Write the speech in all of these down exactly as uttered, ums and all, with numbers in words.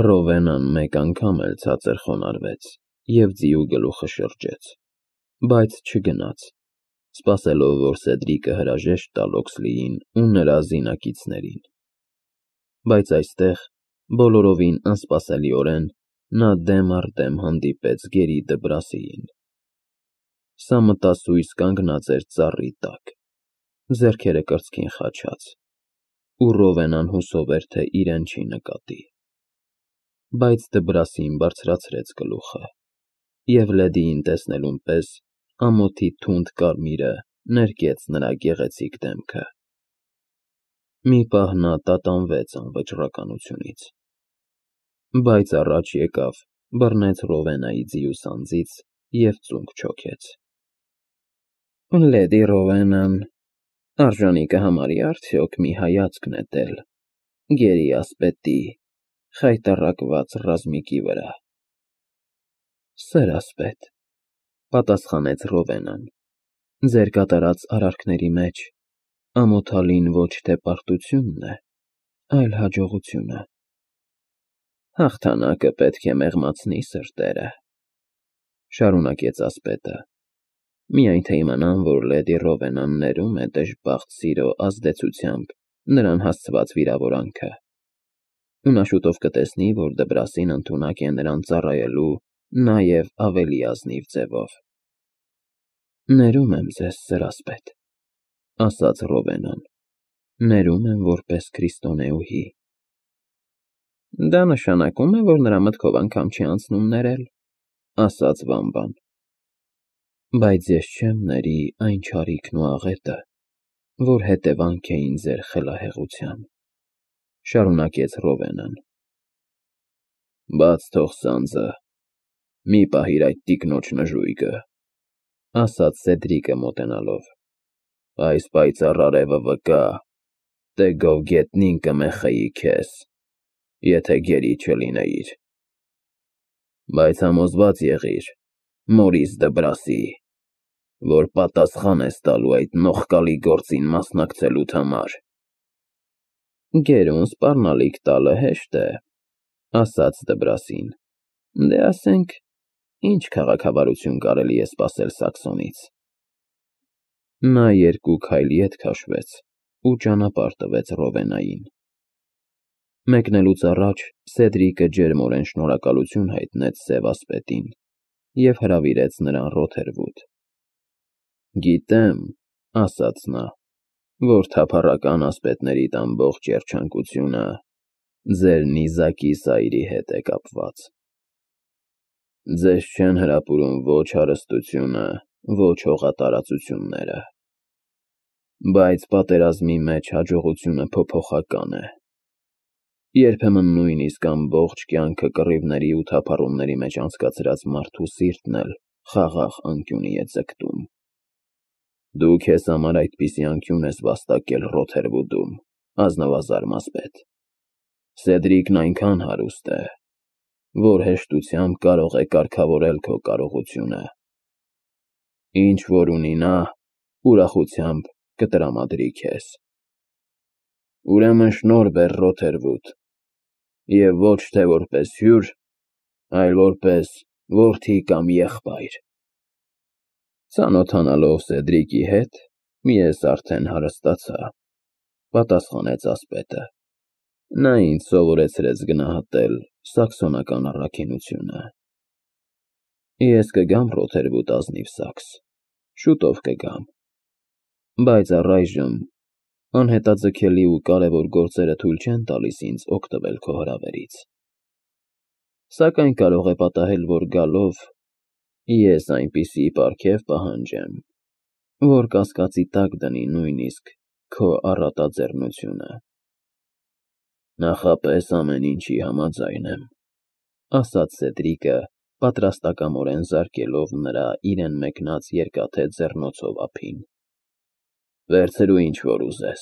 Ռովենան մեկ անգամ էլ ցածր խոնարհվեց և ձիու գլուխը շրջեց, բայց չգնաց, սպասելով, որ Սեդրիկը հրաժեշտ տա Լոքսլիին ու նրա զինակիցներին, բայց այստեղ, բոլորովին անսպասելիորեն, նա դեմ առ դեմ հանդիպեց Գերի Դբրասիին։ Սա մտասույզ կանգնած էր ծառի տակ, ձեռքերը կրծքին խաչած, ու Ռովենան հուսով էր, թե իրեն չի նկատի։ Բայց Դբրասին բարձրացրեց գլուխը, և լեդիին տեսնելուն պես ամոթի թունդ կարմիրը ներկեց նրա գեղեցիկ դեմքը։ Մի պահ նա տատանվեց անվճռականությունից, բայց առաջ եկավ, բռնեց Ռովենայի ձիու սանձից և ծունկ չոքեց։ Լեդի Ռովենան արժանի կհամարի՞ արդյոք մի հայացք նետել Գերի ասպետի խայտառակված ռազմիկի վրա։ Սեր ասպետ, պատասխանեց Ռովենան, ձեր կատարած արարքների մեջ ամոթալին ոչ թե պարտությունն է, այլ հաջողությունը։ Հաղթանակը պետք է մեղմացնի սրտերը, շարունակեց ասպետը, միայն թե իմանամ, որ լեդի Ռովենան ներում է դժբախտ սիրո ազդեցությամբ նրան հասցված վիրավորանքը, ու նա շուտով կտեսնի, որ Դբրասին ընդունակ է նրան ծառայելու նաև ավելի ազնիվ ձևով։ Ներում եմ ձեզ, սեր ասպետ, ասաց Ռովենան, ներում եմ որպես քրիստոնեուհի։ Դա նշանակում է, որ նրա մտքով անգամ չի անցնում ներել, ասաց Վամբան։ Բայց ես չեմ ների այն չարիքն ու աղետը, որ հետևանք էին ձեր խելահեղության, շարունակեց Ռովենան։ Բաց թող սանձը, մի պահիր այդ տիկնոջ նժույգը, ասաց Սեդրիկը մոտենալով, այս պայծառ արևը վկա, թե գով գետնին կմեխեի քեզ, եթե գերի չլինեիր։ Բայց համոզված եղիր, Մորիս Դբրասի, որ պատասխան ես տալու այդ նողկալի գործին մասնակցելուդ համար։ Գերուն սպառնալիք տալը հեշտ է, ասաց Դբրասին, դե ասենք, ինչ քաղաքավարություն կարելի է սպասել Սաքսոնից։ Նա երկու քայլ ետ քաշվեց ու ճանապարհ տվեց Ռովենային։ Մեկնելուց առաջ Սեդրիկը ջերմորեն շնորհակալություն հայտնեց սև ասպետին և հրավիրեց նրան Ռոթերվուդ։ Գիտեմ, ասաց նա, որ թափառական ասպետներիդ ամբողջ երջանկությունը ձեր նիզակի սայրի հետ է կապված։ Ձեզ չեն հրապուրում ոչ հարստությունը, ոչ հողատարածությունները։ Բայց պատերազմի մեջ հաջողությունը փոփոխական է։ Երբեմն նույնիսկ ամբողջ կյանքը կռիվների ու թափառումների մեջ անցկացրած մարդու սիրտն էլ խաղաղ անկյունի է ձգտում։ Դու քեզ համար այդպիսի անկյուն ես վաստակել Ռոթերվուդում, ազնվազարմ ասպետ։ Սեդրիկն այնքան հարուստ է, որ հեշտությամբ կարող է կարգավորել քո կարողությունը։ Ինչ որ ունի նա, ուրախությամբ կտրամադրի քեզ։ Ուրեմն շնորհ բեր Ռոթերվուդ, և ոչ թե որպես հյուր, այլ որպես որդի կամ եղբայր։ Ծանոթանալով Սեդրիկի հետ, ես արդեն հարստացա, պատասխանեց ասպետը։ Նա ինձ սովորեցրեց գնահատել սաքսոնական առաքինությունը։ Ես կգամ Ռոթերվուդ, ազնիվ Սաքս, շուտով կգամ, բայց առայժմ անհետաձգելի ու կարևոր գործերը թույլ չեն տալիս ինձ օգտվել քո հրավերից։ Սակայն կարող է պատահել, որ գալով ես այնպիսի պարգև պահանջեմ, որ կասկածի տակ դնի նույնիսկ քո առատաձեռնությունը։ Նախապես ամեն ինչի համաձայն եմ, ասաց Սեդրիկը, պատրաստակամորեն զարկելով նրա իրեն մեկնած երկաթե ձեռնոցով ափին։ Վերցրու ինչ որ ուզես,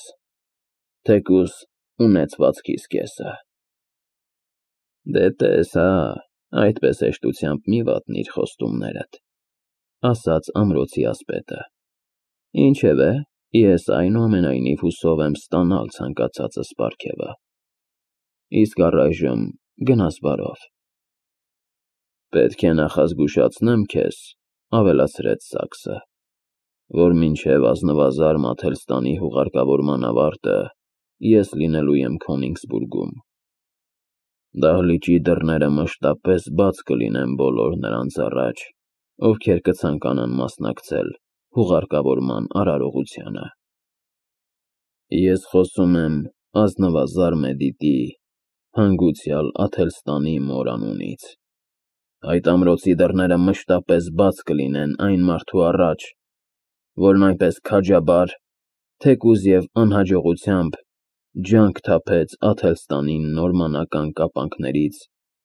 թեկուզ ունեցվածքիս կեսը։ Դե տես հա, այդպես հեշտությամբ մի վատնիր խոստումներդ, ասաց ամրոցի ասպետը։ Ինչևէ, ես այնուամենայնիվ հուսով եմ ստանալ ցանկացածս պարգևը։ Իսկ առայժմ գնաս բարով։ Պետք է նախազգուշացնեմ քեզ, ավելացրեց Սաքսը, որ մինչև ազնվազար Աթելստանի հուղարկավորման ավարտը ես լինելու եմ Քոնիգսբուրգում։ Դահլիճի դռները մշտապես բաց կլինեն բոլոր նրանց առաջ, ովքեր կցանկանան մասնակցել հուղարկավորման արարողությանը։ Ես խոսում եմ ազնվազար Մեդիտի, հանգուցյալ Աթելստանի մոր անունից։ Այդ ամրոցի դռները մշտապես բաց կլինեն այն մարդու առաջ, որն այնպես քաջաբար, թեկուզ և անհաջողությամբ ջանք թափեց Աթելստանին նորմանական կապանքներից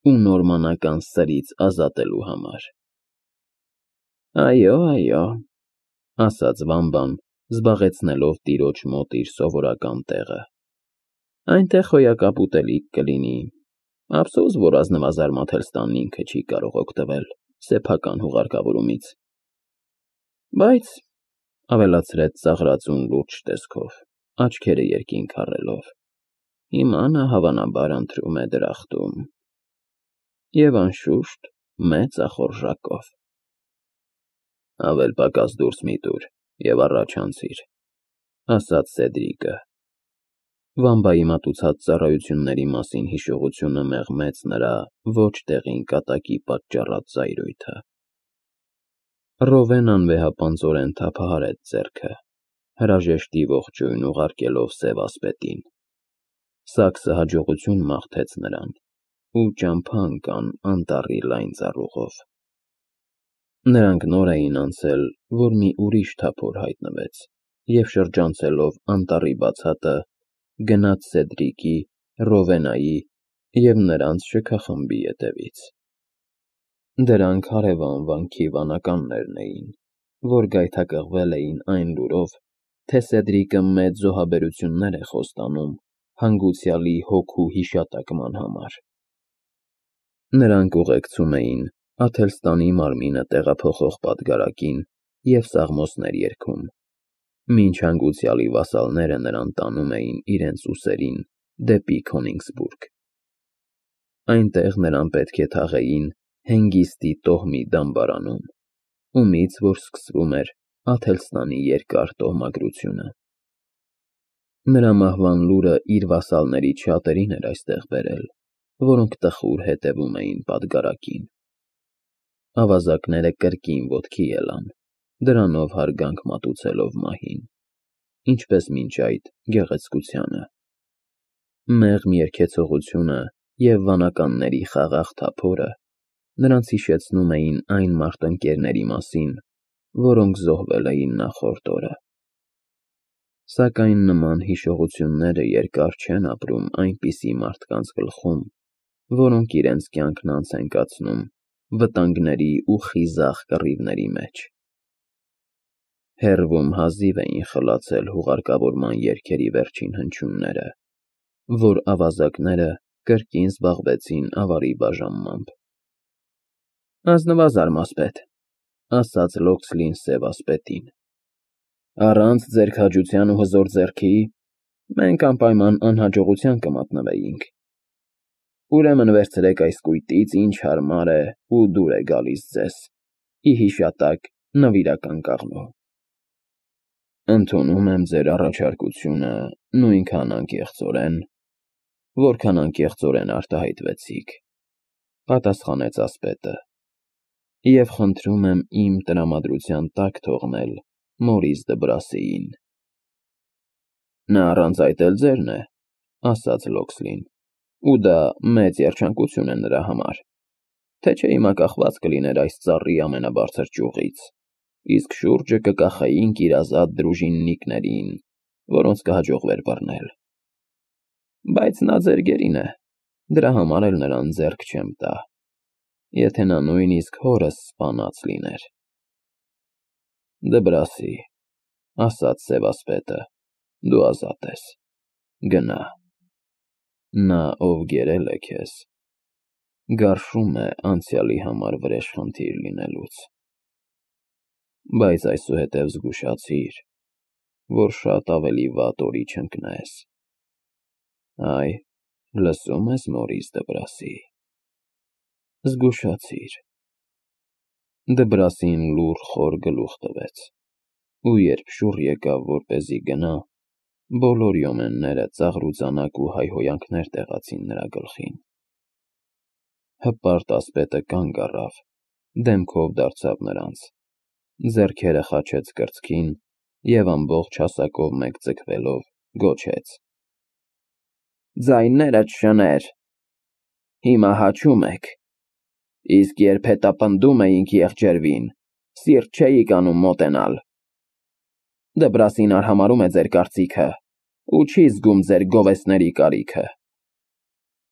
ու նորմանական սրից ազատելու համար։ Այո, այո, ասաց Վամբան, զբաղեցնելով տիրոջ մոտ իր սովորական տեղը։ Այնտեղ հոյակապ ուտելիք կլինի, ափսոս, որ ազնվազար Աթելստանն ինքը չի կարող օգտվել սեփական հուղարկավորումից։ Բայց, ավելացրեց ծաղրածուն լուրջ տեսքով, աչքերը երկինք առելով, հիմա նա հավանաբար ընտրում է դրախտում։ Եվ անշուշտ մեծ ախորժակով։ Ավել պակաս դուրս մի տուր և առաջ անցիր, ասաց Սեդրիկը։ Վամբայի մատուցած ծառայությունների մասին հիշողությունը մեղմեց նրա ոչ տեղին կատակի պատճառած զայրույթը։ Ռովեն անվեհապանծորեն թափահարեց ձեռքը, հրաժեշտի ողջույն ուղարկելով սև ասպետին։ Սաքսը հաջողություն մաղթեց նրան ու ճամփա ընկան անտառի լայն ծառուղով։ Նրանք նոր էին անցել, որ մի ուրիշ թափոր հայտնվեց և շրջանցելով անտառի բացատը, գնաց Սեդրիկի, Ռովենայի և նրանց շքախմբի ետևից։ Դրանք հարևան վանքի վանականներն էին, որ գայթակղվել էին այն լուրով, թե Սեդրիկը մեծ զոհաբերություններ է խոստանում հանգուցյալի հոգու հիշատակման համար։ Նրանք ուղեկցում էին Աթելստանի մարմինը տեղափոխող պատգարակին և սաղմոսներ երգում, մինչ հանգուցյալի վասալները նրան տանում էին իրենց ուսերին դեպի Քոնիգսբուրգ։ Այնտեղ նրան պետք է թաղեին Հենգիստի տոհմի դամբարանում, ումից որ սկսվում էր Աթելստանի երկար տոհմագրությունը։ Նրա մահվան լուրը իր վասալներից շատերին էր այստեղ բերել, որոնք տխուր հետևում էին պատգարակին։ Ավազակները կրկին ոտքի ելան, դրանով հարգանք մատուցելով մահին, ինչպես մինչ այդ գեղեցկությանը։ Մեղմ երգեցողությունը և վանականների խաղաղ թափորը նրանց հիշեցնում էին այն մարտնկերների մասին, որոնք զոհվել էին նախորդ օրը։ Սակայն նման հիշողությունները երկար չեն ապրում այնպիսի մարդկանց գլխում, որոնք իրենց կյանքն անց են կացնում վտանգների ու խիզախ կռիվների մեջ։ Հեռվում հազիվ էին խլացել հուղարկավորման երգերի վերջին հնչյունները, որ ավազակները կրկին զբաղվեցին ավարի բաժանմամբ։ Ազնվազար մասպետ, ասաց Լոքսլին սև ասպետին, առանց ձեր քաջության ու հզոր ձեռքի մենք անպայման անհաջողության կմատնվեինք։ Ուրեմն վերցրեք այս կույտից, ինչ հարմար է ու դուր է գալիս ձեզ, ի հիշատակ նվիրական կաղնու։ Ընդունում եմ ձեր առաջարկությունը նույնքան անկեղծորեն, որքան անկեղծորեն արտահայտվեցիք, պատասխանեց ասպետը, և խնդրում եմ իմ տրամադրության տակ թողնել Մորիս Դբրասիին։ Նա առանց այդ էլ ձերն է, ասաց Լոքսլին, ու դա մեծ երջանկություն է նրա համար, թե չէ հիմա կախված կլիներ այս ծառի ամենաբարձր ճյուղից, իսկ շուրջը կկախեինք իր ազատ դրուժիննիկներին, որոնց կհաջողվեր բռնել։ Բայց նա ձեր գերին է, դրա համար էլ նրան ձեռք չեմ տա, եթե նա նույնիսկ հորս սպանած լիներ։ Դբրասի, ասաց սևասպետը, դու ազատ ես, գնա։ Նա, ով գերել է քեզ, գարշում է անցյալի համար վրեժխնդիր լինելուց։ Բայց այսուհետև զգուշացիր, որ շատ ավելի վատ օրի չընկնես։ Այ, Լսում ես, Մորիս Դբրասի, զգուշացիր։ Դբրասին լուռ խոր գլուխ տվեց, ու երբ շուռ եկավ, որպեսզի գնա, բոլոր յոմենները ծաղրուծանակ ու հայհոյանքներ տեղացին նրա գլխին։ Հպարտ ասպետը կանգ առավ, դեմքով դարձավ նրանց, ձեռքերը խաչեց կրծքին և ամբողջ հասակով մեկ ձգվելով գոչեց. Ձայներդ շներ, հիմա հաչում եք, իսկ երբ հետապնդում էինք եղջերվին, սիրտ չէիք անում մոտենալ։ Դբրասին արհամարհում է ձեր կարծիքը ու չի զգում ձեր գովեստների կարիքը։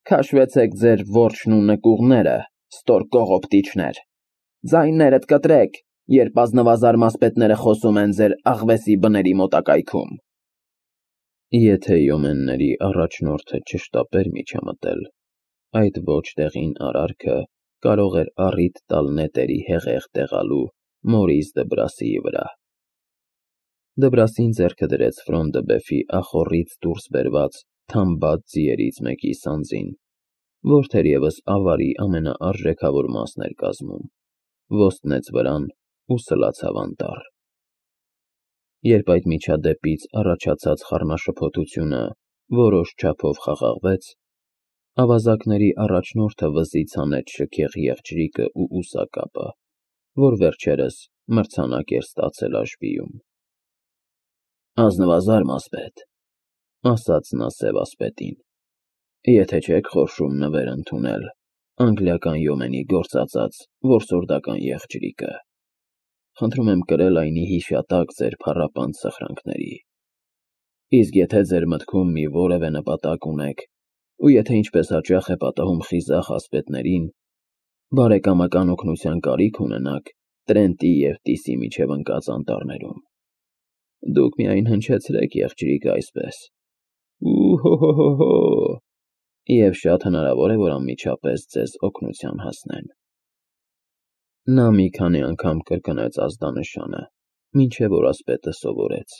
Քաշվեցեք ձեր որջն ու նկուղները, ստոր կողոպտիչներ, ձայներդ կտրեք, երբ ազնվազար մասպետները խոսում են ձեր աղվեսի բների մոտակայքում։ Եթե յոմենների առաջնորդը չշտապեր միջամտել, այդ ոչ տեղին արարքը կարող էր առիթ տալ նետերի հեղեղ տեղալու Մորիս Դբրասիի վրա։ Դբրասին ձեռքը դրեց Ֆրոնդըբեֆի ախոռից դուրս բերված թամբած ձիերից մեկի սանձին, որ թերևս ավարի ամենաարժեքավոր մասն էր կազմում, ոստնեց վրան ու սլացավ անտառ։ Երբ այդ միջադեպից առաջացած խառնաշփոթությունը որոշ չափով խաղաղվեց, ավազակների առաջնորդը վզից հանեց շքեղ եղջյուրիկը ու ուսակապը, որ վերջերս մրցանակ էր ստացել աշվիում։ Ազնվազար մասպետ, ասաց նա սև ասպետին, եթե չեք խորշում նվեր ընդունել անգլիական յոմենի գործածած որսորդական եղջյուրիկը, խնդրում եմ կրել այնի հիշատակ ձեր փառապանծ սխրանքների, իսկ եթե ձեր մտքում մի որևէ նպատակ ունեք, ու եթե ինչպես հաճախ է պատահում խիզախ ասպետներին, բարեկամական օգնության կարիք ունենաք Տրենտի և Տիսի միջև ընկած անտառներում, դուք միայն հնչեցրեք եղջյուրիկը այսպես. ու-հո-հո-հո, և շատ հնարավոր է, որ անմիջապես ձեզ օգնության հասնեն։ Նա մի քանի անգամ կրկնեց ազդանշանը, մինչև որ ասպետը սովորեց։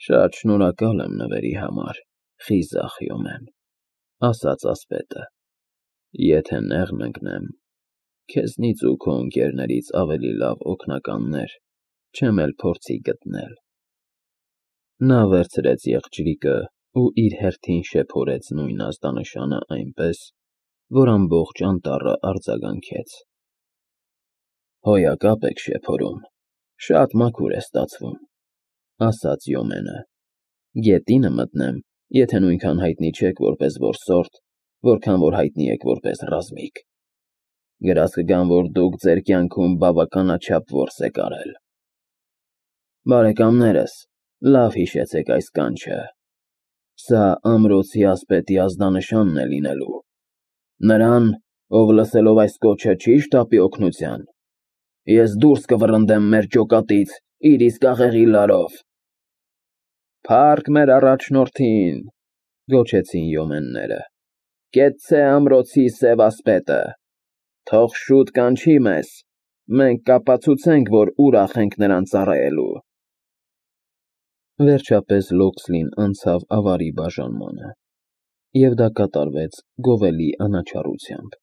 Շատ շնորհակալ եմ նվերի համար, խիզախ յոմեն, ասաց ասպետը, եթե նեղն ընկնեմ, քեզնից ու քո ընկերներից ավելի լավ օգնականներ չեմ էլ փորձի գտնել։ Նա վերցրեց եղջյուրիկը ու իր հերթին շեփորեց նույն ազդանշանը այնպես, որ ամբողջ անտառը արձագանքեց։ Հոյակապ եք շեփորում, շատ մաքուր է ստացվում, ասաց յոմենը, գետինը մտնեմ, եթե նույնքան հայտնի չեք որպես որսորդ, որքան որ հայտնի եք որպես ռազմիկ։ Գրազ կգամ, որ դուք ձեր կյանքում բավականաչափ որս եք արել։ Բարեկամներս, լավ հիշեցեք այս կանչը, սա ամրոցի ասպետի ազդանշանն է լինելու։ Նրան, ով լսելով այս կոչը չի շտապի օգնության, ես դուրս կվռնդեմ մեր ջոկատից իր իսկ աղեղի լարով։ Փառք մեր առաջնորդին, գոչեցին յոմենները, կեցցե ամրոցի սև ասպետը, թող շուտ կանչի մեզ, մենք կապացուցենք, որ ուրախ ենք նրան ծառայելու։ Վերջապես Լոքսլին անցավ ավարի բաժանմանը, և դա կատարվեց գովելի անաչառությամբ։